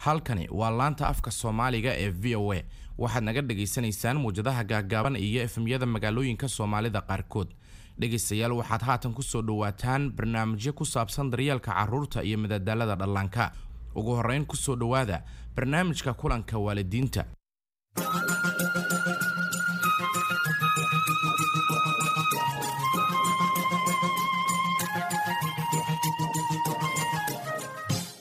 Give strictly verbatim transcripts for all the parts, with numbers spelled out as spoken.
Halkani waa laanta afka Soomaaliga ee V O A. Waxaad naga dhagaysanaysaan muwjadaha gaagaaban iyo F M-yada magaalooyinka Soomaalida qaarkood. Dhegaystayaal, waxaad haatan kusoo dhawaataan barnaamijyo ku saabsan daryeelka carruurta iyo madadaalada dhallaanka. Ugu horreyn, kusoo dhowaada barnaamijka kulanka waalidiinta.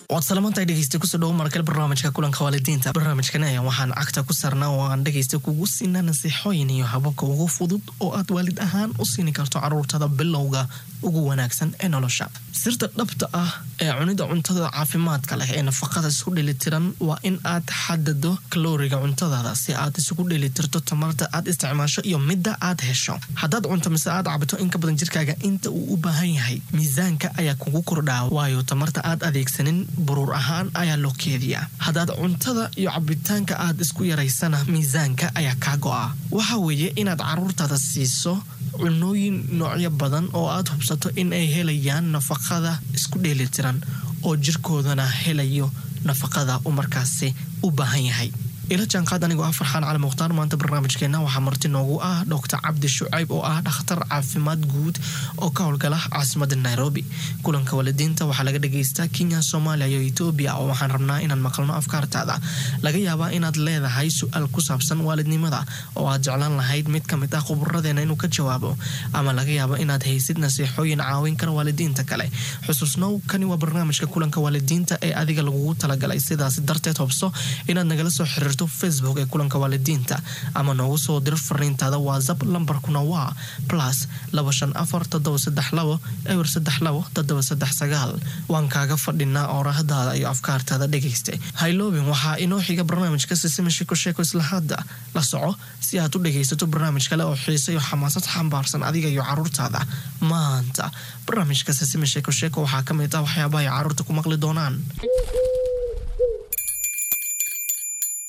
Waad salamantahay, dhegeysta. Kusoo dhawo markale barnaamijka kulanka waalidiinta. Barnaamijkan ayaa waxaan cagta ku saarnaa oo aan dhegeysta kugu siinaa nasiixooyin iyo hababka ugu fudud oo aad waalid ahaan u siini karto caruurtada bilowga ugu wanaagsan ee nolosha. Sirta dhabta ah ee cunida cuntada caafimaadka leh ee nafaqada isku dheelitiran waa in aad xadado kalooriga cuntadaada si aad isugu dheelitirto tamarta aad isticmaasho iyo midda aad hesho. Haddaad cunto mise aad cabto in ka badan jirkaaga inta uu u baahan yahay, miisaanka ayaa kugu kordhaa, waayo tamarta aad adeegsanin buruur ahaan ayaa loo keediyaa. Haddaad cuntada iyo cabitaanka aad isku yaraysana, miisaanka ayaa kaa go'a. Waxa weeye inaad caruurtaada siiso cunooyin noocyo badan oo aad hubsato in ay helayaan nafaqada isku dheelitiran oo jirkoodana helayo nafaqada uu markaasi u baahan yahay. Ila jaanqaad anigoo ah Farxaan Cali Mukhtaar. Maanta barnaamijkeena waxaa marti noogu ah Doctor Cabdi Shucayb oo ah dhakhtar caafimaad guud oo ka howlgala caasimada Nairobi. Kulanka waalidiinta waxaa laga dhagaystaa Kenya, Soomaaliya iyo Etoobiya, oo waxaan rabnaa inaan maqalno afkaartaada. Laga yaabaa inaad leedahay su-aal ku saabsan waalidnimada oo aad jeclaan lahayd mid kamid ah khuburadeena inuu ka jawaabo, ama laga yaabo inaad haysid nasiixooyin caawin kara waalidiinta kale. Xusuusnow, kani waa barnaamijka kulanka waalidiinta ee adiga lagugu talagalay. Sidaas darteed, hubso inaad nagala soo xiriirto Facebook ee kulanka waalidiinta ama noogu soo diro fariintaada WhatsApp. Lambarkuna waa plus laba shan afar toddoba saddex labo eber saddex labo toddoba saddex sagaal. Waan kaaga fadhinaa oorahdaada iyo afkaartaada, dhegayste. Hayloobin, waxaa inoo xiga barnaamijka Sisima Sheeko Sheeko. Isla hadda la soco si aad u dhegaysato barnaamij kale oo xiise iyo xamaasad xambaarsan adiga iyo caruurtaada. Maanta barnaamijka Sisima Sheeko Sheeko waxaa ka mid ah waxyaabaha ay caruurta ku maqli doonaan.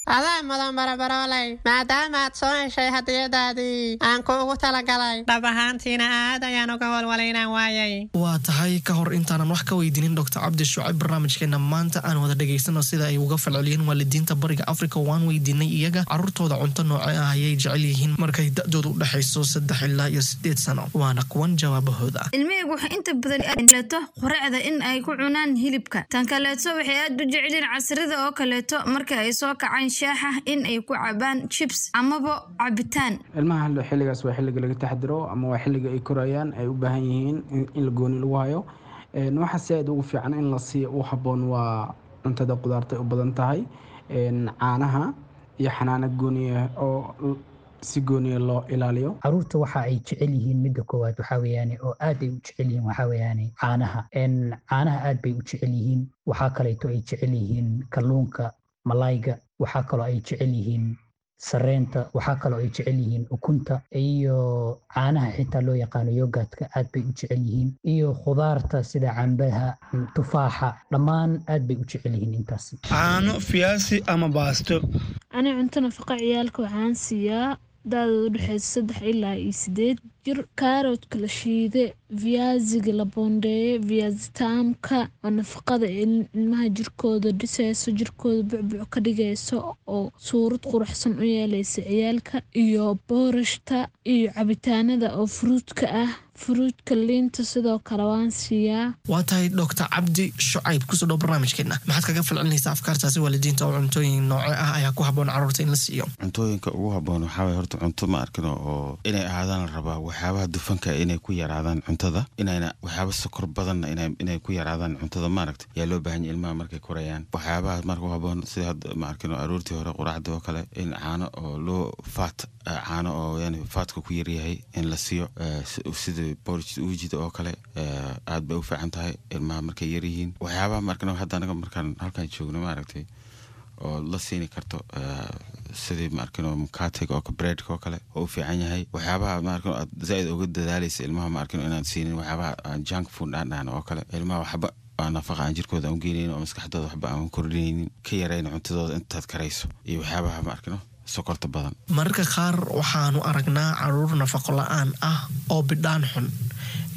Adaa mudan, barabarooley, maadaama aad soo heshay hadiyadaadii aan kuugu talagalay. Dhab ahaantiina aad ayaan uga walwalay inaan waayay. Waa tahay. Ka hor intaanan wax ka weydiinin Doctor Cabdi Shucayb barnaamijkeena maanta, aan wada dhegaysano sida ay uga falceliyeen waalidiinta Bariga Africa. Waan weydiinay iyaga caruurtooda cunto nooce ah ayay jecel yihiin markay da-doodu u dhexayso saddex ilaa iyo sideed sano. Waana kuwan jawaabahooda. Ilmahaygu waxay inta badan kaleeto quraacda in ay ku cunaan hilibka. Tan kaleeto, waxay aad u jecelyihiin casrida oo kaleeto marka ay soo kacaan shaaxa in ay ku cabaan chips amaba cabitaan. Ilmaha xilligaas waa xilliga laga taxadiro ama waa xilliga ay korayaan, ay u baahan yihiin in la gooni lagu hayo. Waxa si aad ugu fiican in la siiyo u habboon waa cuntada qudaarta ay u badan tahay, caanaha iyo xanaano gooniya oo si gooniya loo ilaaliyo. Caruurta waxa ay jecel yihiin, midda koowaad waxaa weeyaane oo aad ay u jecel yihiin, waxaa weeyaane caanaha. Caanaha aad bay u jecel yihiin. Waxaa kaleeto ay jecel yihiin kalluunka, malayga. Waxaa kaloo ay jecel yihiin sareenta. Waxaa kaloo ay jecel yihiin ukunta iyo caanaha xitaa loo yaqaano yogurtka, aad bay u jecel yihiin, iyo khudaarta sida cambaha, tufaaxa, dhammaan aad bay u jecel yihiin intaasi. Caano, fiyaasi ama baasto. Ani cunto nafaqa ciyaalka waxaan siiyaa da-dooda udhexeysa saddex ilaa iyo sideed jir kaaroodka la shiide, viaziga la boondeeye, viazi taamka oo nafaqada ilmaha jirkooda dhiseyso, jirkooda bucbuc ka dhigayso oo suurad quruxsan u yeeleysa ciyaalka, iyo boorashta iyo cabitaanada oo fruitka ah, fruitka, liinta sidoo kale waan siiyaa. Waa tahay. Doctor Cabdi Shucayb, kusoo dhow barnaamijkeena. Maxaad kaga falcelinaysaa afkaartaasi waalidiinta oo cuntooyin nooce ah ayaa ku habboon caruurta in la siiyo? Cuntooyinka ugu habboon waxaa waye horta cunto ma arkino oo inay ahaadaan la rabaa waxyaabaha dufanka inay ku yaraadaan cuntada, inayna waxyaaba sokor badanna inay ku yaraadaan cuntada, maaragta, yaa loo baahan yahay ilmaha markay korayaan. Waxyaabaha marka u habboon sida hadda, ma arkino, aroortii hore quraacda oo kale in caano oo loo fat, caano oo yani fatka ku yaryahay in la siiyo, sida porridge uujida oo kale, aad bay u fiican tahay ilmaha markay yaryihiin. Waxyaabaha ma arkino hadda anaga markaan halkan joogno, maaragtay, oo la siini karto sidii, ma arkino, mkatega oo breadka oo kale oo u fiican yahay. Waxyaabaha, ma arkino, aad zaaid uga dadaalaysa ilmaha, ma arkino, inaad siinin waxyaabaha aan junk food aan dhahno oo kale, ilmaha waxba aan nafaqa aan jirkooda aan u geynaynin oo maskaxdooda waxba aan kordhinaynin. Ka yarayna cuntadooda intaad karayso iyo waxyaabaha, ma arkino, sokorta badan. Mararka qaar waxaanu aragnaa caruur nafaqo la-aan ah oo bidhaan xun.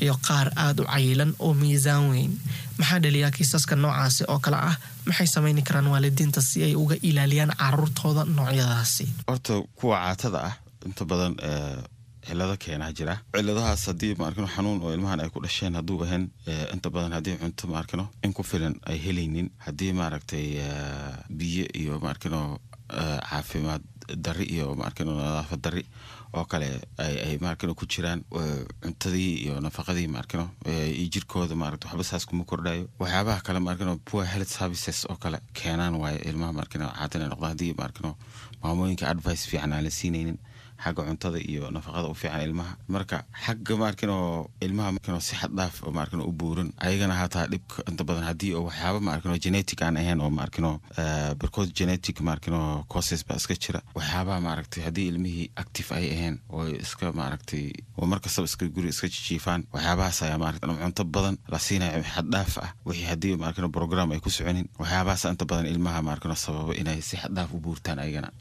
Iyo qaar aada u cayilan oo miisaan weyn. Maxaa dhaliyaa kiisaska noocaasi oo kale ah? Maxay sameyni karaan waalidiinta si ay uga ilaaliyaan caruurtooda noocyadaasi? Horta kuwa caatada ah inta badan cilado keenaa jira. Ciladahaas haddii maarkino xanuun oo ilmahan ay ku dhasheen hadduu ahayn, inta badan haddii cunto maarkino in ku filan ay helaynin, haddii maaragtay biyo iyo maarkino caafimaad dari iyo maarkino nadaafad dari oo kale ay ay maarkino ku jiraan, cuntadii iyo nafaqadii maarkino iyo jirkooda maaragta waxba saas kuma kordhayo. Waxyaabaha kale maarkino poor health services oo kale keenaan waaye ilmaha maarkino caata inay noqdaan, haddii maarkino maamooyinka advice fiican aan la siinaynin xagga cuntada iyo nafaqada u fiican ilmaha. Marka xagga maarkino ilmaha maarkino si xad dhaaf oo maarkino u buuran ayagana hataa dhibka inta badan haddii oo waxyaaba maarkino genetic aan ahayn oo maarkino barkood genetic maarkino causes baa iska jira. Waxyaabaha maaragtay haddii ilmihii active ay ahayn oo iska maaragtay oo markastaba iska guri iska jijiifaan, waxyaabahaas ayaa maaragtay ama cunto badan la siinayo xad dhaaf ah, wixii haddii maarkino program ay ku soconin, waxyaabahaas inta badan ilmaha maarkino sababa inay si xad dhaaf u buurtaan ayagana.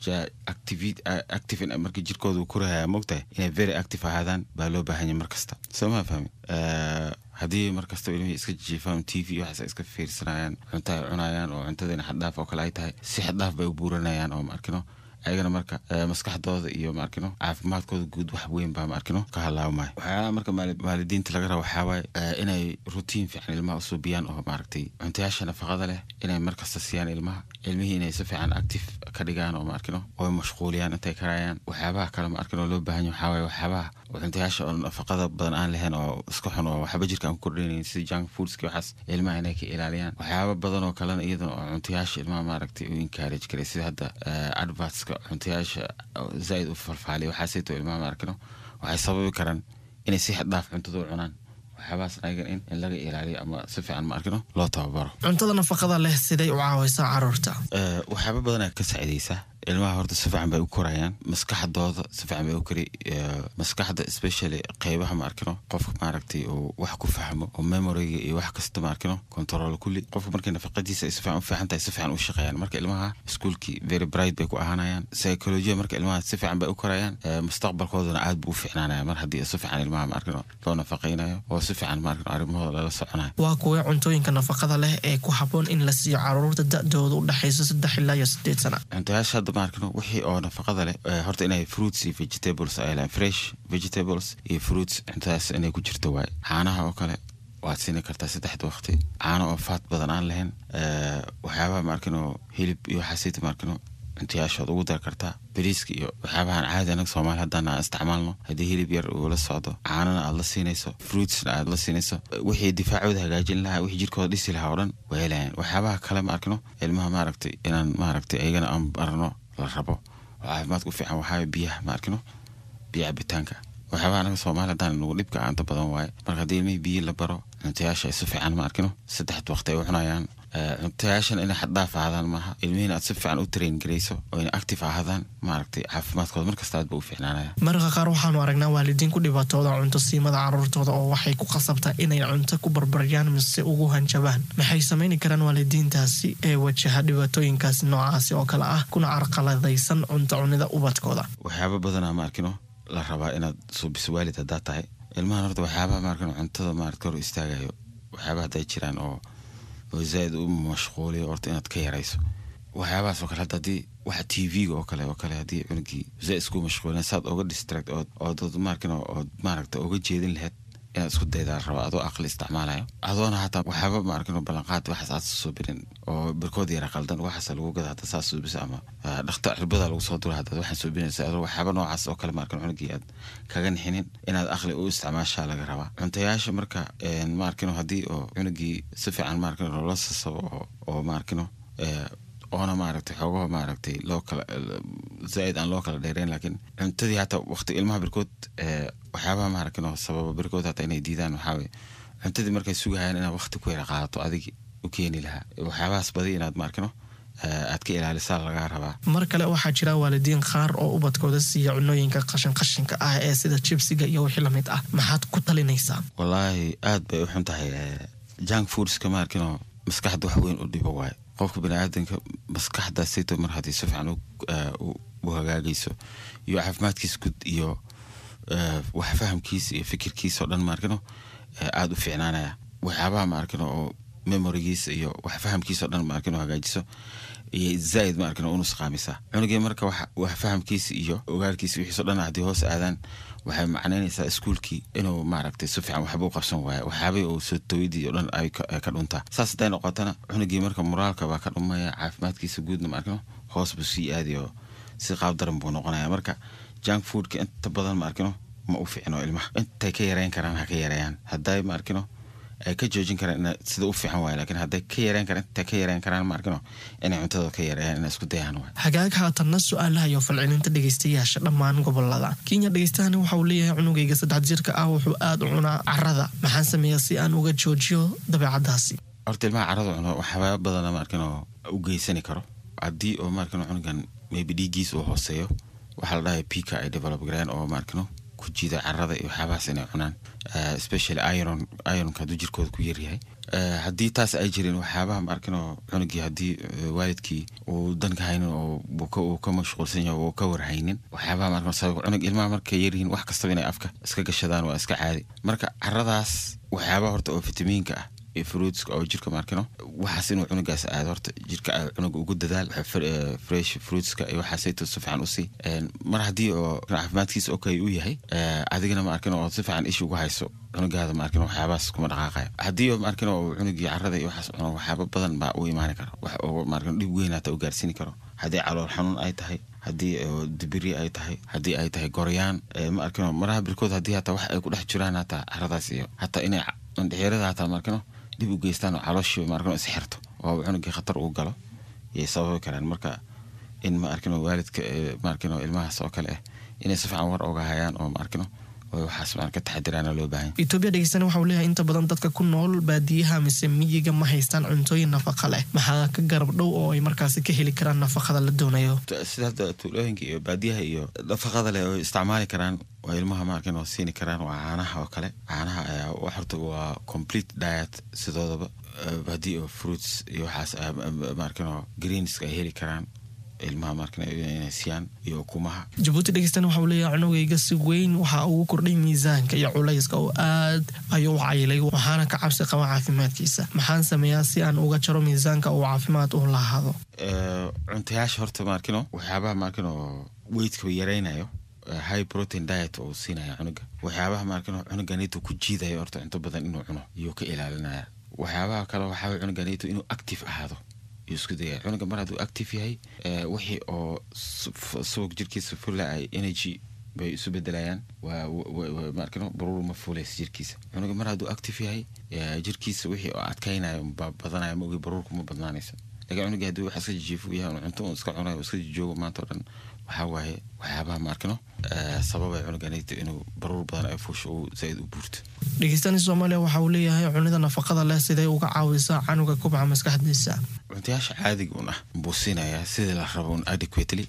Active active markii jirkooda uu korahaya, mogtahay inay very active ahaadaan baa loo baahan yahay markasta, soo ma fahmi? Haddii markastaba ilmihii iska jiifaan, T V waxaas ay iska fiirsanayaan, cunto ay cunayaan oo cuntadiina xaddhaaf oo kale ay tahay, si xaddhaaf bay u buuranayaan oo maarkino ayagana marka maskaxdooda iyo maarkino caafimaadkooda guud wax weyn baa maarkino ka halaabmaya. Waxyaalaha marka waalidiinta laga raba waxaa waaye inay routine fiican ilmaha u suubiyaan oo maaragtay cuntayaasha nafaqada leh inay markasta siiyaan ilmaha, ilmihii inay si fiican active ka dhigaan oo maarkino oo mashquuliyaan intay karayaan. Waxyaabaha kale maarkino loo baahan yahay waxaa waaye waxyaabaha cuntayaasha oo nafaqada badan aan lahayn oo iska xun oo waxba jirka aan ku kordhinayn, sida junk foodski, waxaas ilmaha inay ka ilaaliyaan. Waxyaaba badan oo kalena iyadana oo cuntayaasha ilmaha maaragtay u encourage karay, sida hadda advertska cuntayaasha zaaid u falfaaliya, waxaasayto ilmaha maarkino waxay sababi karaan inay si xad dhaaf cuntada u cunaan. Waxyaabahaas ayagan in in laga ilaaliyo ama si fiican maarkino loo tababaro. Cuntada nafaqada leh siday u caawaysaa caruurta? Waxyaaba badanaa ka saacidaysa ilmaha. Horta si fiican bay u korayaan, maskaxdooda si fiican bay u kori, maskaxda especially qeybaha maarkino qofka maaragtay uu wax ku fahmo oo memoryga iyo wax kasta maarkino control kulli. Qofka markay nafaqadiisa ay si fiican u fiican tahay, si fiican u shaqeeyaan. Marka ilmaha iskuulkii very bright bay ku ahaanayaan, psychology marka ilmaha si fiican bay u korayaan, mustaqbalkoodana aad buu u fiicnaanaya mar haddii si fiican ilmaha maarkino loo nafaqaynayo oo si fiican maarkino arrimahooda lala soconayo. Waa kuwee cuntooyinka nafaqada leh ee ku habboon in la siiyo caruurta da'dooda u dhexayso saddex ilaa iyo sideed sana? Cuntayaasha hadda maarkino wixii oo nafaqada leh, horta inay fruits iyo vegetables ay lehan, fresh vegetables iyo fruits, cuntadaas inay ku jirto waaye. Caanaha oo kale waad siini kartaa saddexda waqti, caano oo fat badan aan lahayn. Waxyaabaha maarkino hilib iyo waxaasita maarkino cuntayaashood ugu dari kartaa. Bariiska iyo waxyaabahan caadi anaga Soomaali haddaan aan isticmaalno, haddii hilib yar uu la socdo, caanana aad la siinayso, fruitsna aad la siinayso, wixii difaacooda hagaajin lahaa, wixii jirkooda dhisi lahaa oo dhan way helayaan. Waxyaabaha kale ma arkino ilmaha maaragtay inaan maaragtay ayagana aan barno la rabo oo caafimaadka u fiican waxaa biyaha ma arkino, biyo cabitaanka. Waxyaabaha anaga Soomaali haddaan nagu dhibka inta badan waaye. Marka haddii ilmihii biyo la baro, cuntayaasha ay si fiican ma arkino saddexda waqti ay u cunayaan, cuntayaashan inay xaddhaaf ahaadaan maaha, ilmihiina aad si fiican u train garayso oo inay active ahaadaan, maaragtay caafimaadkooda markasta aad ba u fiicnaanaya. Mararka qaar waxaanu aragnaa waalidiin ku dhibaatooda cunto siimada caruurtooda oo waxay ku qasabtaa inay cunto ku barbaryaan mise ugu hanjabaan. Maxay sameyni karaan waalidiintaasi ee wajaha dhibaatooyinkaasi noocaasi oo kale ah kuna carqaladaysan cunto cunida ubadkooda? Waxyaaba badanaa ma arkino la rabaa inaad suubiso waalid haddaad tahay ilmahan. Horta waxyaabaha maarkino cuntada maaragta hor istaagayo, waxyaabaha hadday jiraan oo oo zaaid u mashquuliyo, horta inaad ka yarayso waxyaabahaas oo kale. Hadda haddii waxa T V-ga oo kale oo kale haddii cunugii zaaid isku mashquulin, saad oga distract ood ood maarkino ood maaragta oga jeedin lahayd inaad isku daydaa la rabaa, adoo aqli isticmaalayo, adoona hataa waxyaaba maarkino ballanqaad waxaas aad soo birin oo barkood yara qaldan waxaas lagu gada hadda saas suubisa ama dhakhtar cirbada lagu soo dura haddaad waxaan suubinaysa, adoo waxyaaba noocaas oo kale maarkino cunugii aad kaga nixinin, inaad aqli u isticmaashaa laga rabaa cuntayaasha. Marka maarkino haddii oo cunugii si fiican maarkino loola sasabo oo oo maarkino oona maaragtay xoogaho maaragtay loo kala zaaid aan loo kala dheereyn, laakiin cuntadii hataa waqti ilmaha barkood waxyaabaha maaragtay sababa barkood hataa inay diidaan waxaa waye cuntadii markay sugahayaan inaad waqti ku yara qaadato adigi u keeni lahaa. Waxyaabahaas badi inaad maarkino aad ka ilaalisaa lagaa rabaa. Mar kale waxaa jira waalidiin qaar oo ubadkooda siiya cunooyinka qashin qashinka ah ee sida jibsiga iyo wixii lamid ah. Maxaad ku talinaysaa? Wallaahi aad bay u xun tahay junk foodska. Maarkino maskaxda wax weyn u dhibo waaye. Qofka baniaadanka maskaxdaasayto mar haddii si fiican u hagaagayso iyo caafimaadkiisa guud iyo wax fahamkiisa iyo fikirkiisa oo dhan maarkino aada u fiicnaanaya. Waxyaabaha ma arkin oo memorigiisa iyo wax fahamkiisa o dhan ma arkin oo hagaajiso iyo zaaid ma arkin oo unusqaamisa cunugii. Marka wax fahamkiisa iyo ogaalkiisa wixiiso dhan haddii hoos aadaan, waxay macnaynaysaa iskuulkii inuu maaragtay si fiican waxba u qabsan waayo, waxyaabihii uu soo tawidii oo dhan ay ka dhuntaa. Saas hadday noqotana, cunugii marka moraalka baa ka dhumaya, caafimaadkiisa guudna ma arkino hoos buu sii aadayo, si qaab daran buu noqonaya. Marka junk foodka inta badan ma arkino ma u fiicno ilmaha. Intay ka yareyn karaan ha ka yareeyaan, hadday ma arkino ay ka joojin karaan sida u fiican waay, laakiin hadday ka yareyn karaan, intay ka yareyn karaan ma arkino inay cuntada ka yareeyaan, inay isku dayaan waay. Hagaag, haatanna su-aalaha iyo falcelinta dhegeystayaasha dhammaan gobolada Kenya. Dhegeystahani waxa uu leeyahay: cunugayga saddex jirka ah wuxuu aada u cunaa carada, maxaan sameeyaa si aan uga joojiyo dabeecadaasi? Horta ilmaha carada cuno waxyaaba badana ma arkino u geysani karo. Haddii oo ma arkino cunugan maybe dhiiggiis uu hooseeyo, waxaa la dhahay pica ay develop gareen oo ma arkino ku jiida carada iyo waxyaabahaas inay cunaan, especially iron, ironka hadduu jirkooda ku yaryahay. Haddii taas ay jirin, waxyaabaha ma arkino cunugii haddii waalidkii uu danka haynin oo uu ka mashquulsan yahay oo ka warhaynin, waxyaabaha ma arkino sabab cunug ilmaha markay yaryihiin wax kastaba inay afka iska gashadaan waa iska caadi. Marka caradaas waxyaabaha horta oo fitamiinka ah iyo fruitska oo jirka maarkino waxaas inuu cunugaas aado, horta jirka cunuga ugu dadaal fresh fruitska iyo waxaasayto si fiican usii. Mar haddii oo caafimaadkiisa okay uu yahay, adigana ma arkin oo si fiican isha ugu hayso cunugaada, ma arkin waxyaabahaas kuma dhaqaaqayo. Haddii oo ma arkin oo cunugii carada iyo waxaas cuno, waxyaaba badan baa u imaani karo, wax oo ma arkin dhib weyn hata u gaarsiini karo. Haddii calool xanuun ay tahay, haddii dibiri ay tahay, haddii ay tahay goryaan, ma arkino maraha birkood haddii hataa wax ay ku dhex jiraan hataa caradaas iyo hataa inay indhexeerada hataa ma arkino dib u geystaan oo calooshii ma arkino is xirto oo cunugii khatar uu galo yay sababi karaan. Marka in ma arkino waalidka ma arkino ilmahaas oo kale ah inay si fiican war oga hayaan oo ma arkino oo waxaas ma ka taxadiraana loo baahan. Etoobiya dhegeystana waxa uu leeyahay: inta badan dadka ku nool baadiyaha mise miyiga ma haystaan cuntooyin nafaqa leh, maxaa ka garab dhow oo ay markaasi ka heli karaan nafaqada la doonayo? Sida hadda tuulooyinka iyo baadiyaha iyo nafaqada leh oo isticmaali karaan oo ilmaha ma arkin oo siini karaan waa caanaha oo kale. Caanaha ayaa horta waa complete diet sidoodaba. Haddii oo fruits iyo waxaas ma arkin oo greenska ay heli karaan ilmaha ma arkin inay siiyaan iyo ukumaha. Jabuuti dhegeystana waxa uu leeyahay: cunugayga si weyn waxa ugu kordhay miisaanka iyo culayska oo aad ayuu u cayilay, waxaana ka cabsi qaba caafimaadkiisa. Maxaan sameeyaa si aan uga jaro miisaanka uu caafimaad u lahaado? Cuntayaasha horta ma arkino waxyaabaha ma arkino weightka yaraynayo, high protein diet oo siinaya cunuga. Waxyaabaha ma arkino cunuganito ku jiidayo horta cunto badan inuu cuno iyuu ka ilaalinaya. Waxyaabaha kale waxaa cunuganito inuu active ahaado yuu isku dayaya. Cunuga mar hadduu active yahay, wixii oo subag jirkiisa fula ay energy bay isu bedelayaan, waa ma arkino baruur ma fuulaysa jirkiisa. Cunuga mar hadduu active yahay, jirkiisa wixii oo adkaynayo baa badanaya, ma ogi baruurku ma badnaanaysa. Lakin cunuga haddii wax iska jijiifo yahay, cunto un iska cunayo, iska jijoogo maanta o dhan, waxaa waaye waxyaabaha ma arkino sababay cunuganito inuu baruur badan ay fuusho uu zaaid u buurto. Dhegeystani Soomaaliya waxa uu leeyahay: cunida nafaqada leh siday uga caawisaa canuga kubca maskaxdiisa? Cuntayaasha caadiga un ah buu siinayaa sidii la rabo un adequately,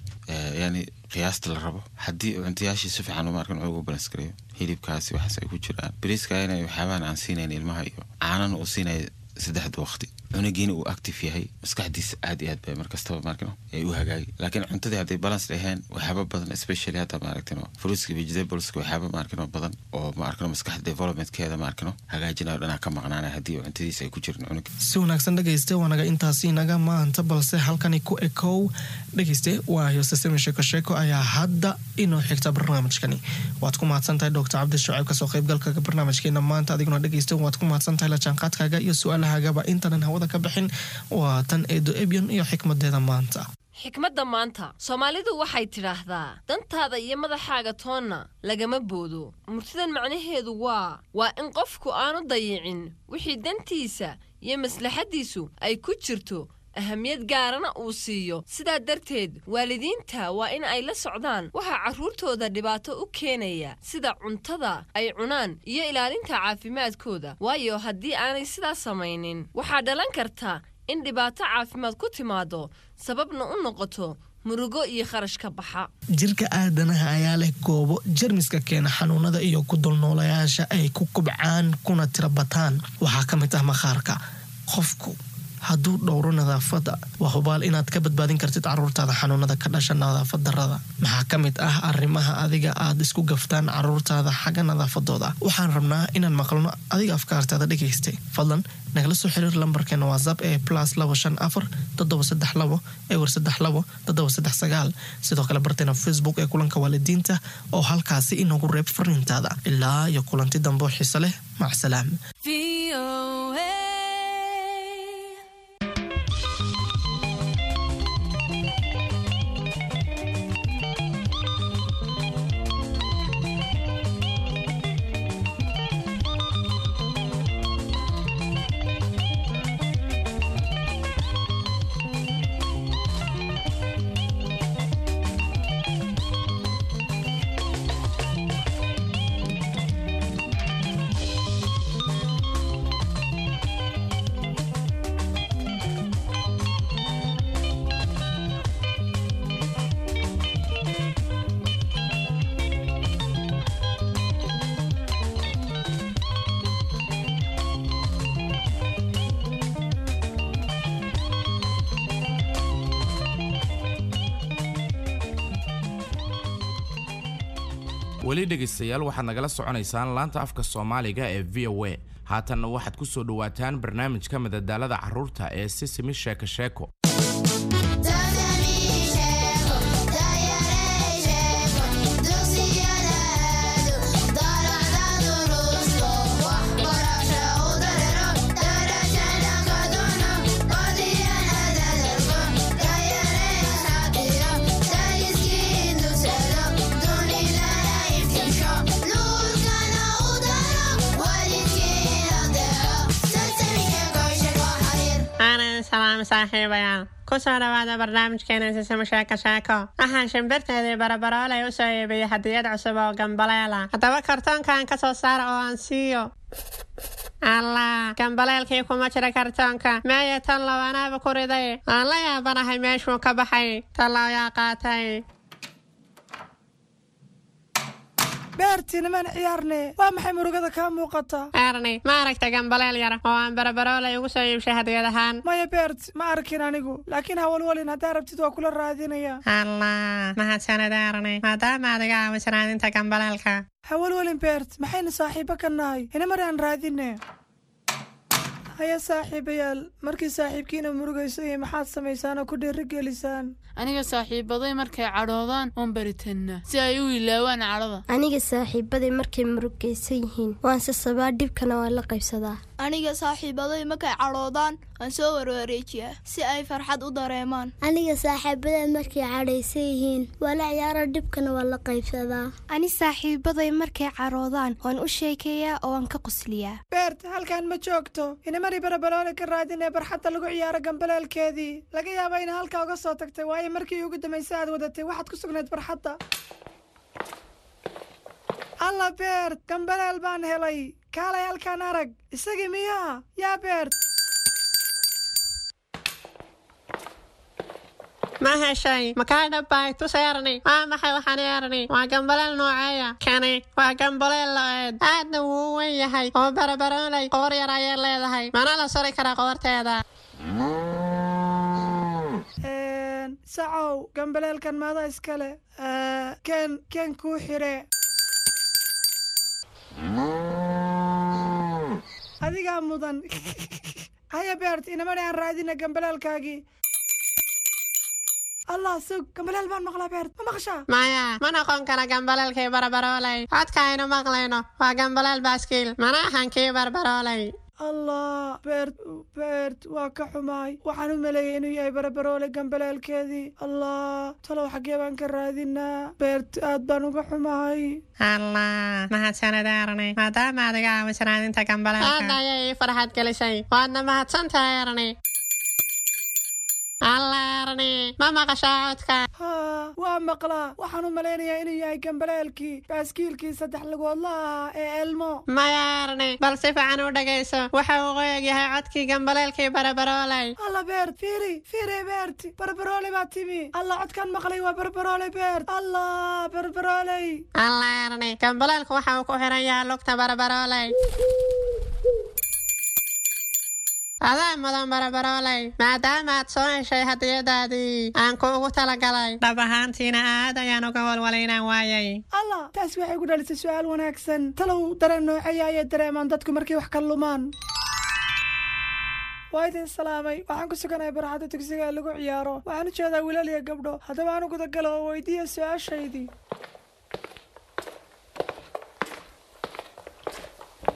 yani qiyaasta la rabo. Haddii cuntayaashii si fiican ma arkin ugu balance gareeyo, hilibkaasi waxaas ay ku jiraan, bariiska inay waxyaabahan aan siinayn ilmaha iyo caanana uu siinaya saddexda waqti, cunugiina uu active yahay, maskaxdiisa aad iyo aad bay markastaba maarkino ay u hagaagi. Laakiin cuntadii hadday balance dhaheen, waxyaaba badan, especially hadda maaragtino fruitska, vegetables, waxyaaba maarkino badan oo maarkino maskaxda developmentkeeda maarkino hagaajinayo dhanaa ka maqnaanaya haddii cuntadiisa ay ku jirin cunuga. Si wanaagsan dhegeyste, waanaga intaasi naga maanta, balse halkani ku ekow dhegeyste. Waa Yosesemi Sheeko Sheeko ayaa hadda inoo xigta barnaamijkani. Waad ku mahadsan tahay Doctor Cabdi Shucayb kasoo qaybgalka barnaamijkeena maanta. Adiguna dhegeyste waad ku mahadsan tahay la jaanqaadkaaga iyo su-aalahaagaba. Intanan hawada ka bixin, waa tan Eedo Ebyon iyo xikmadeeda maanta. Xikmadda maanta, Soomaalidu waxay tidhaahdaa: dantaada iyo madaxaaga toonna lagama boodo. Murtidan macnaheedu waa waa in qofku aanu dayicin wixii dantiisa iyo maslaxaddiisu ay ku jirto, ahamiyad gaarana uu siiyo. Sidaa darteed waalidiinta waa in ay la socdaan waxaa carruurtooda dhibaato u keenaya, sida cuntada ay cunaan iyo ilaalinta caafimaadkooda, waayo haddii aanay sidaas samaynin waxaa dhalan karta in dhibaato caafimaad ku timaado, sababna u noqoto murugo iyo kharash ka baxa. Jirka aadanaha ayaa leh goobo jermiska keena xanuunada iyo ku dulnoolayaasha ay ku kubcaan kuna tira bataan. Waxaa ka mid ah maqaarka. Qofku hadduu dhowro nadaafadda, waa hubaal inaad ka badbaadin kartid caruurtaada xanuunada ka dhasha nadaafad darrada. Maxaa ka mid ah arrimaha adiga aad isku gaftaan caruurtaada xagga nadaafadooda? Waxaan rabnaa inaan maqalno adiga afkaartaada dhegaystay. Fadlan nagala soo xiriir lambarkeena WhatsApp ee plus labo shan afar toddoba saddex labo ewer saddex labo toddoba saddex sagaal. Sidoo kale barteena Facebook ee Kulanka Waalidiinta oo halkaasi inoogu reeb fariintaada. Ilaa iyo kulanti dambe oo xiise leh, macsalaam. Weli dhegaystayaal, waxaad nagala soconaysaan laanta afka Soomaaliga ee V O A. Haatanna waxaad ku soo dhowaataan barnaamijka madadaalada carruurta ee Sisimi Sheeko Sheeko. Aanan salaam saaxiibayaal, kusoo dhawaada barnaamijkeena Sisimo Sheeko Sheeko. Waxaan shimbirteedii Barabaroolay u soo iibiyey hadiyad cusub oo gambaleela. Haddaba kartoonkan ka soo saara oo aan siiyo. Allah, gambaleelkii kuma jira kartoonka. Meeye tan lawanaaba ku riday? Aan la yaabanahay meeshuu ka baxay. Tallow yaa qaatay? Beertii, nimaan ciyaarne. Waa maxay murugada kaa muuqata? Erni, ma aragta gambaleel yar oo aan Barabaroolay ugu soo iibshay hadiyad ahaan? Maya Beert, ma arkin anigu, laakiin hawalwalin, haddaa rabtid waa kula raadinaya. Allah, mahadsanid Erni, maadaama aad iga caawiso raadinta gambaleelka. Hawalwalin Beert, maxaynu saaxiibo ka nahay? Inamar aan raadine. Haya saaxiibayaal, markii saaxiibkiina murugayso iyo maxaad samaysaan oo ku dhiirigelisaan? Aniga saaxiibaday markay cadhoodaan oon baritanna si ay u ilaawaan cadhada. Aniga saaxiibaday markay murugaysan yihiin waan sasabaa, dhibkana waan la qaybsadaa. Aniga saaxiibaday markay cadhoodaan waan soo warwareejiyaa si ay farxad u dareemaan. Aniga saaxiibaday markay cadhaysan yihiin waa la ciyaara, dhibkana waan la qaybsadaa. Ani saaxiibaday markay cadhoodaan waan u sheekeeyaa oo waan ka qosliyaa. Beert, halkan ma joogto. Inamari Barabaloole ka raadinee barxadda lagu ciyaaro gambaleelkeedii. Laga yaaba ina halkaa uga soo tagtay, waayo markii ugu dambaysay aad wadatay waxaad ku sugnayd barxadda. Alla Beert, gambaleel baan helay. Kaalay halkaan arag. Isagii miyaa yaa Beert? Ma heshay? Makaa dhabbay? Tus Erni. Waa maxay waxaan Erni? Waa gambaleel nooceeya kani? Waa gambaleel lo'eed, aadna wuu u weyn yahay oo Barabaroolay qoor yar ayay leedahay, mana la suri kara qoorteeda. Sacow, gambaleelkan maada iskale? Ken ken kuu xire. Adigaa mudan. Haya Beert, inamani aan raadina gambaleelkaagii. Allah, sug, gambaleel baan maqlaa. Beert, ma maqashaa? Maya, ma noqon kara gambaleelkii Barabaroolay. Codka aynu maqlayno waa gambaleel baaskiil, mana ahan kii Barbaroolay. Allah Beert, Beert, waa ka xumaay. Waxaan u maleeyay inuu yahay Barabaroole gambaleelkeedii. Allah, talow xaggee baan ka raadinaa? Beert, aad baan uga xumahay. Allah, mahadsanid Erni, maadaama aad iga caawiso raadinta gambaleelka. Aad ayay ii farxad gelisay, waadna mahadsantahay Erni. Allah Erni, ma maqashaa codka? Haa, waa maqlaa. Waxaan u malaynayaa inuu yahay gambaleelkii baaskiilkii saddex lugoodla ahaa ee Elmo. Maya Erni, bal si fiican u dhegayso. Waxa uu qoyag yahay codkii gambaleelkii Barabaroolay. Alla Beert, fiiri fiiri. Beert, Barbarooley baa timi. Alla, codkan maqlay waa Barbarooley. Beert, Allah, Barbarooley! Allah Erni, gambaleelku waxa uu ku xiran yahay lugta Barabarooley. Adaa mudan barabarooley, maadaama aad soo heshay hadiyadaadii aan kuugu talagalay. Dhab ahaantiina aad ayaan uga walwalay inaan waayay. Allah, taas waxay ku dhalisay su'aal wanaagsan. Talow dareen noocaya ayay dareemaan dadku markay wax ka lumaan? Waa idin salaamay. Waxaan ku suganahay barxadda dugsiga ee lagu ciyaaro. Waxaan u jeedaa wiilal iyo gabdho. Haddaba aan u gudagalo oo weydiiya su-aashaydii.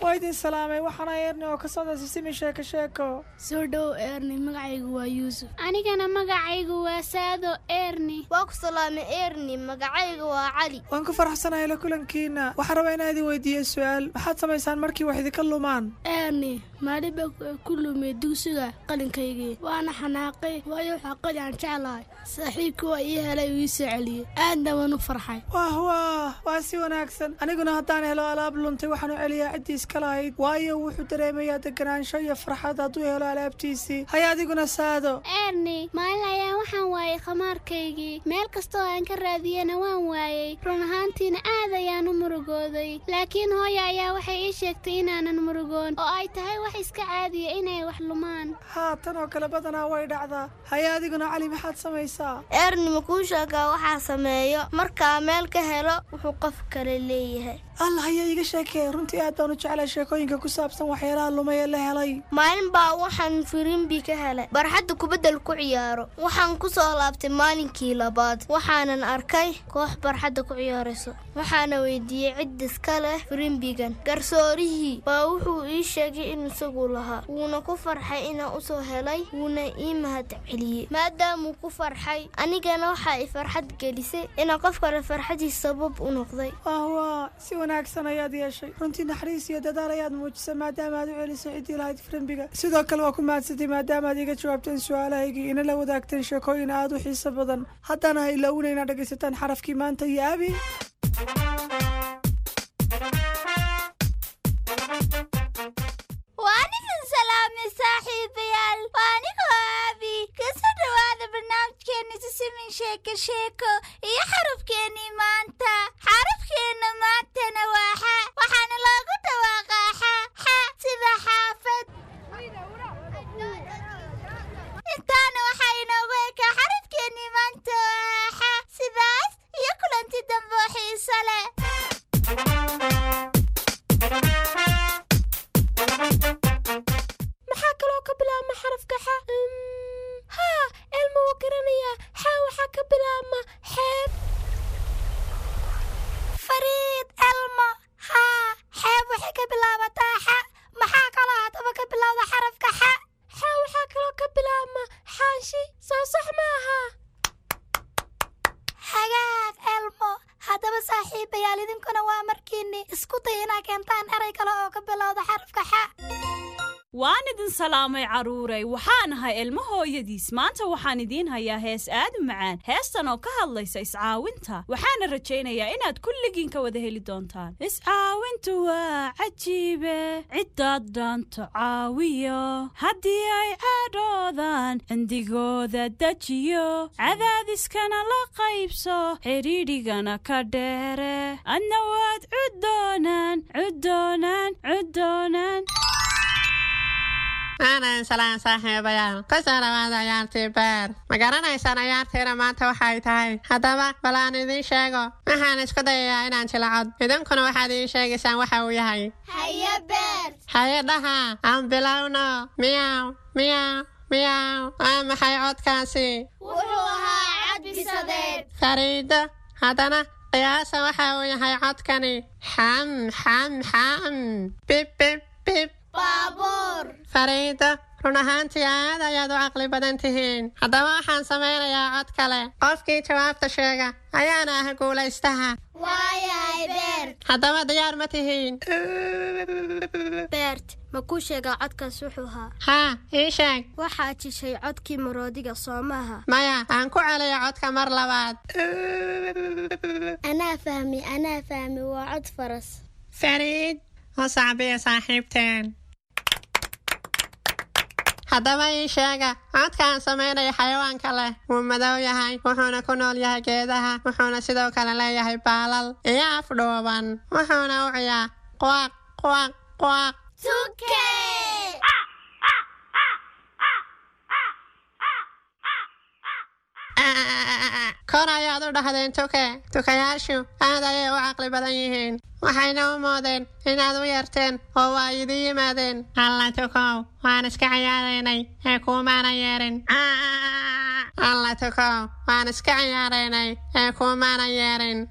Waa idin salaamay. Waxaana Eerni oo ka socda Sisimi Sheeko Sheeko. Soo dhow Eerni, magacaygu waa Yuusuf. Anigana magacaygu waa Saado Eerni. Waa ku salaamay Eerni, magacaygu waa Cali. Waan ku faraxsanahay la kulankiina. Waxaan rabaa inaan idin weydiiyo su'aal. Maxaad samaysaan markii wax idinka lumaan? Eerni, maalin baa ku lumay dugsiga qalinkaygii, waana xanaaqay, waayo waxaa qalin aan jeclahay. Saaxiibkii waa ii helay oo ii soo celiyey, aadna waan u farxay. Wah wah, waa si wanaagsan. Aniguna haddaan helo alaab luntay, waxaan u celiyaa ciddii iska lahayd, waayo wuxuu dareemayaa deganaansho iyo farxad hadduu helo alaabtiisii. Haya adiguna Saado. Eerni, maalin ayaan waxaan waayay khamaarkaygii. Meel kastoo aan ka raadiyena waan waayey. Run ahaantiina aad ayaan u murugooday, laakiin hooya ayaa waxay ii sheegtay inaanan murugoon oo ay tahay wax iska caadiya inay wax lumaan. Haa, tan oo kale badanaa way dhacdaa. Haya adiguna Cali, maxaad samaysaa? Eerni, ma kuu sheegaa waxaa sameeyo markaa meel ka helo wuxuu qof kale leeyahay? Allah, haya iiga sheekee. Runtii aad baan u jeclay sheekooyinka ku saabsan waxyaalaha lumay ee la helay. Maalin baa waxaan firimbi ka helay barxadda kubaddal ku ciyaaro. Waxaan ku soo laabtay maalinkii labaad, waxaanan arkay koox barxadda ku ciyaarayso. Waxaana weydiiyey cid iska leh firimbigan. Garsoorihii baa wuxuu ii sheegay in isagu lahaa, wuuna ku farxay inaan usoo helay, wuuna ii mahad celiyey. Maadaamuu ku farxay, anigana waxa i farxad gelisay inaan qof kale farxadiis sabab u noqday. Wah, si wanaagsan ayaad yeeshay. Runtii naxariis iyo dadaal ayaad muujisay maadaama aad u celisay ciddii lahayd firimbiga. Sidoo kale waa ku mahadsantay maadaama aad iga jawaabteen su-aalahaygii, ina la wadaagteen sheekooyin aad u xiiso badan. Haddana ha ilaawina inaad dhegaysataan xarafkii maanta iyo Abi. Waan idin salaamay saaxiibayaal, waa anigoo Aabi. Kasoo dhowaada barnaamijkeena Sisimin Sheeko Sheeko iyo xarafkeennii maanta. Xarafkeenna maantana waa xa, waxaana loogu dhawaaqaa xa xa sida xaafad. Intaana waxaa inoogu ekaa xarafkeennii maanta oo ah xa. Sidaas iyo kulanti dambe oo xiiso leh. Maxaa kaloo ka bilaabma xarafka xa? Haa, Elmo wuu garanayaa. Xa waxaa ka bilaabma xeeb. Fariid, Elmo, haa, xeeb waxay ka bilaabataa xa. Maxaa kaloo haddaba ka bilowda xarafka xa? Xa waxaa kaloo ka bilaabma xaanshi, soo sax maaha? Hagaag Elmo. Haddaba saaxiibayaal, idinkuna waa markiinni isku day inaa keentaan erey kale oo ka bilowda xarafka xa. Waan idin salaamay carruuray. Waxaan ahay Ilmo hooyadiis. Maanta waxaan idiin hayaa hees aad u macaan, heestan oo ka hadlaysa iscaawinta. Waxaana rajaynayaa inaad kulligiin ka wada heli doontaan. Iscaawintu waa cajiibe, ciddaad dhaanto caawiyo, haddii ay cadhoodaan cindigooda dejiyo, cadaadiskana la qaybso, xidhiidhigana ka dheere, adna waad cuddoonaan cuddoonaan cuddoonaan. Aanan salaan saaxiibayaal, kusoo dhawaada ciyaartii beer. Ma garanaysaan ciyaartiina maanta waxay tahay? Haddaba bal aan idiin sheego. Waxaan isku dayayaa inaan jilacod, idinkuna waxaad ii sheegaysaan waxa uu yahay. Haye Beer. Haye dhaha, aan bilowno. Miyaw miyaw miyaw, waa maxay codkaasi? Wuxuu ahaa cad bisadeed. Fariido, haddana qiyaasa waxa uu yahay codkani. Xam xam xam, bib bib bib. Baabuur. Fariido, run ahaantii aad ayaad u caqli badan tihiin. Haddaba waxaan samaynayaa cod kale. Qofkii jawaabta sheega ayaana ah guulaystaha. Waayahay Beert. Haddaba diyaar ma tihiin? Beert, ma kuu sheegaa codkaas wuxuu ahaa? Haa, ii sheeg. Waxaad jishay codkii maroodiga, soo maaha? Maya, aan ku celiyo codka mar labaad. Anaa fahmi, anaa fahmi, waa cod faras. Fariid, u sacbiya saaxiibteen. Haddaba ii sheega codka aan samaynaya xayawaanka leh. Wuu madow yahay, wuxuuna ku nool yahay geedaha, wuxuuna sidoo kale leeyahay baalal iyo af dhuuban, wuxuuna u ciyaa quaq quaq quaq. Tuke. Kor ayaad u dhahdeen tuke. Tukayaashu aad ayay u caqli badan yihiin. Waxayna u moodeen inaad u yeerteen oo waa idin yimaadeen. Alla tukow, waan iska ciyaaraynay ee kuumaana yeerin. Alla tukow, waan iska ciyaaraynay ee kuumaana yeerin.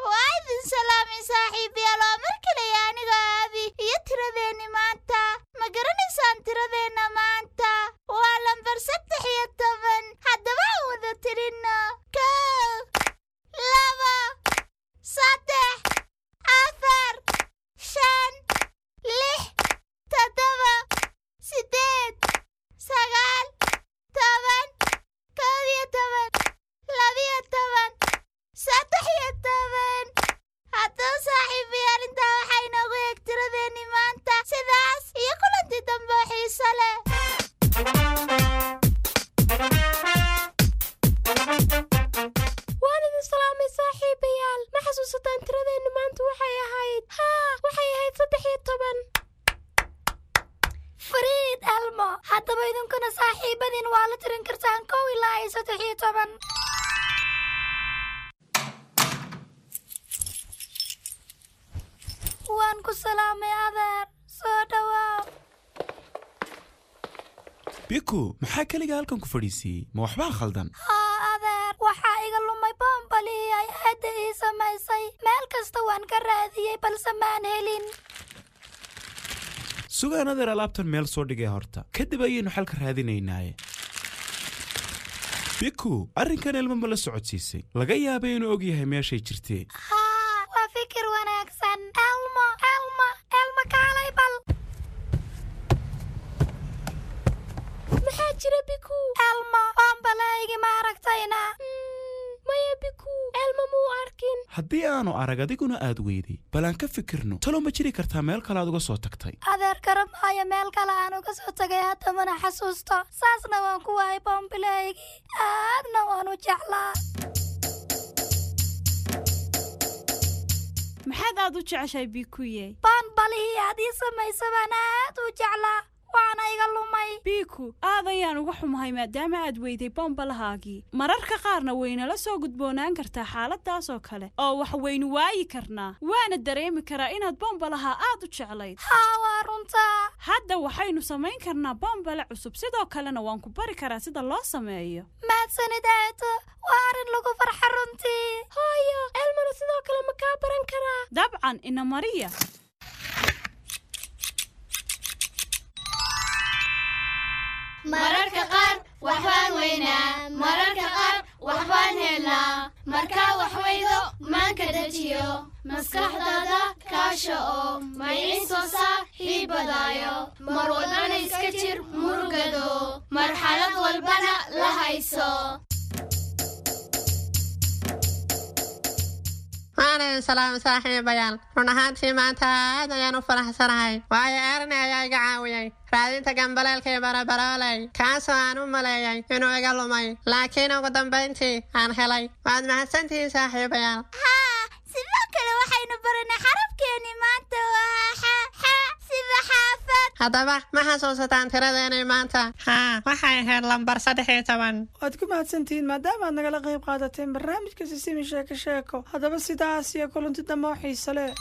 Waa idin salaamay saaxiibayaal, waa mar kale iyo aniga Aabi iyo tiradeenni maanta. Ma garanaysaan tiradeenna maanta? Waa lambar saddex iyo toban. Haddaba aan wada tirinno: kow, laba, saddex, afar, shan, lix, toddoba, siddeed, sagaal, toban, kow iyo toban, labiyo toban, saddex iyo toban. Haddaba saaxiibayaal, intaa waxaa inoogu eeg tiradeenni maanta. Sidaas iyo kulantii dambe oo xiiso leh. Waan idin salaamay saaxiibayaal. Ma xasuusataan tiradeennu maanta waxay ahayd? Haa, waxay ahayd saddex iyo toban. Fariid Elmo, haddaba idinkuna saaxiibadiin waa la tirin kartaan kow ilaa iyo saddex iyo toban. Waan ku salaamay adeer, soo dhawaaw. Biku, maxaa keliga halkan ku fadhiisiiyey? Ma waxbaa khaldan? Haa adeer, waxaa iga lumay boombalihii ay aadda ii samaysay. Meel kasta waan ka raadiyey balse maan helin. Sugaan adeer, alaabtan meel soo dhigay horta, kadib ayaynu xalka raadinaynaaye. Biku, arrinkan Elmo ma la socodsiisay? Laga yaabay inuu og yahay meeshay jirtee. Haa, waa fikir wanaagsan. Elmo, Elmo, Elmo, kaalay bal. Maxaa jira Biku? Elmo, boombalahaygi ma aragtayna? Maya Biku, Elmo muu arkin. Haddii aanu arag adiguna aad weyday, bal aan ka fikirno. Talo ma jiri kartaa meel kale aad uga soo tagtay? Adeer, garan maayo meel kale aan uga soo tagay, hadda mana xasuusto. Saasna waan ku waayay boombilahaygii, aadna waan u jeclaa. Maxaad aad u jeceshahay Bikuye? Boonbalihii aad ii samaysa baan aad u jeclaa, waana iga lumay. Biku, aad ayaan uga xumahay maadaama aad weyday bombalahaagii. Mararka qaarna waynala soo gudboonaan kartaa xaaladaas oo kale oo wax waynu waayi karnaa, waana dareemi karaa inaad bombalaha aad u jeclayd. Haa, waa runtaa. Hadda waxaynu samayn karnaa bombale cusub, sidoo kalena waan ku bari karaa sida loo sameeyo. Mahadsanid aato, waa arrin lagu farxa runtii. Hooyo, Elmona sidoo kale ma kaa baran karaa? Dabcan, ina mariya. Mararka qaar waxbaan weynaa, mararka qaar waxbaan helnaa. Markaa wax weydo maanka dejiyo, maskaxdaada kaasha oo maycin soo saaxiibadaayo. Mar walbana iska jir murugado, marxalad walbana la hayso. Waan idin salaamay saaxiibayaal. Run ahaantii maanta aad ayaan u faraxsanahay, waayo Erni ayaa iga caawiyey raadinta gambaleelkii barabarooley, kaasoo aan u maleeyay inuu iga lumay, laakiin ugu dambayntii aan helay. Waad mahadsantihiin saaxiibayaal. Haa, sidoo kale waxaynu baranay xarafkeenni maanta, waa xa, xa sida xaafad. Haddaba ma xasuusataan tiradeenii maanta? Haa, waxay ahayd lambar saddex iyo toban. Waad ku mahadsantihiin maadaama aad nagala qayb qaadateen barnaamijka Sisimi Sheeko Sheeko. Haddaba sidaas iyo kulanti dambe oo xiiso leh.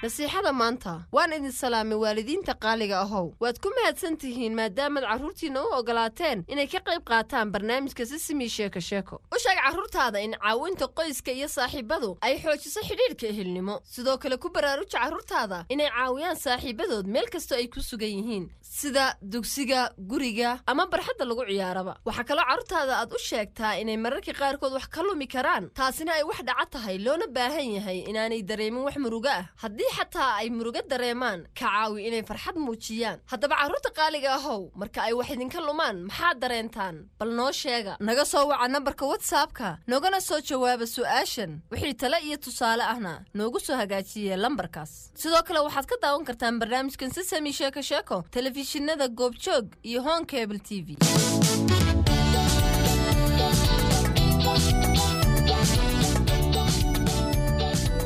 Nasiixada maanta. Waan idin salaamay waalidiinta qaaliga ahow. Waad ku mahadsan tihiin maadaamaad carruurtiinna u ogolaateen inay ka qayb qaataan barnaamijka Sisimi Sheeko Sheeko. U sheeg carruurtaada in caawinta qoyska iyo saaxiibadu ay xoojiso xidhiidhka ehelnimo. Sidoo kale ku baraaruja carruurtaada inay caawiyaan saaxiibadood meel kastoo ay ku sugan yihiin, sida dugsiga, guriga ama barxadda lagu ciyaaraba. Waxaa kaloo carruurtaada aad u sheegtaa inay mararka qaarkood wax ka lumi karaan, taasina ay wax dhaca tahay, loona baahan yahay inaanay dareemin wax murugo ah. Haddii xataa ay murugo dareemaan, ka caawi inay farxad muujiyaan. Haddaba carruurta qaaliga ahow, marka ay wax idinka lumaan maxaad dareentaan? Bal noo sheega. Naga soo waca nambarka WhatsAppka, noogana soo jawaaba su'aashan. Wixii tale iyo tusaale ahna noogu soo hagaajiye lambarkaas. Sidoo kale waxaad ka daawan kartaan barnaamijkan Sisami Sheeko Sheeko telefishinada Goobjoog iyo Horn Cable T V.